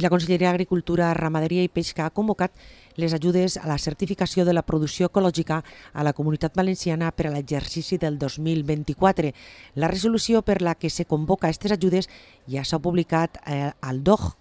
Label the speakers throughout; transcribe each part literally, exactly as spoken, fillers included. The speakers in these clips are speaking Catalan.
Speaker 1: La Conselleria d'Agricultura, Ramaderia i Pesca ha convocat les ajudes a la certificació de la producció ecològica a la Comunitat Valenciana per a l'exercici del dos mil vint-i-quatre. La resolució per la que se convoca aquestes ajudes ja s'ha publicat eh, al D O G.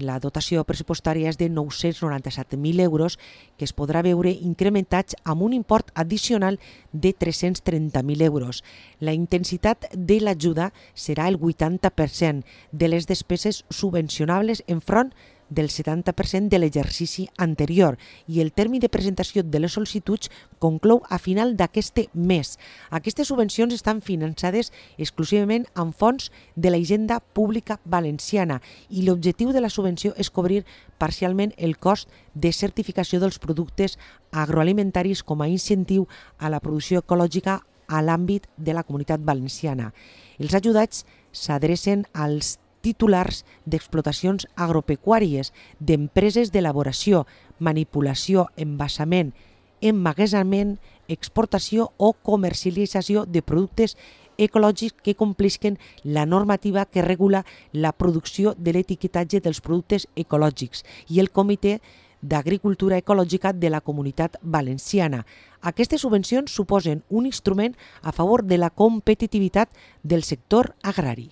Speaker 1: La dotació pressupostària és de nou-cents noranta-set mil euros que es podrà veure incrementats amb un import addicional de tres-cents trenta mil euros. La intensitat de l'ajuda serà el vuitanta per cent de les despeses subvencionables enfront del setanta per cent de l'exercici anterior i el termini de presentació de les sol·licituds conclou a final d'aquest mes. Aquestes subvencions estan finançades exclusivament amb fons de la Hisenda Pública Valenciana i l'objectiu de la subvenció és cobrir parcialment el cost de certificació dels productes agroalimentaris com a incentiu a la producció ecològica a l'àmbit de la Comunitat Valenciana. Els ajudats s'adrecen als titulars d'explotacions agropecuàries, d'empreses d'elaboració, manipulació, envasament, emmagatzemament, exportació o comercialització de productes ecològics que complisquen la normativa que regula la producció de l'etiquetatge dels productes ecològics i el Comitè d'Agricultura Ecològica de la Comunitat Valenciana. Aquestes subvencions suposen un instrument a favor de la competitivitat del sector agrari.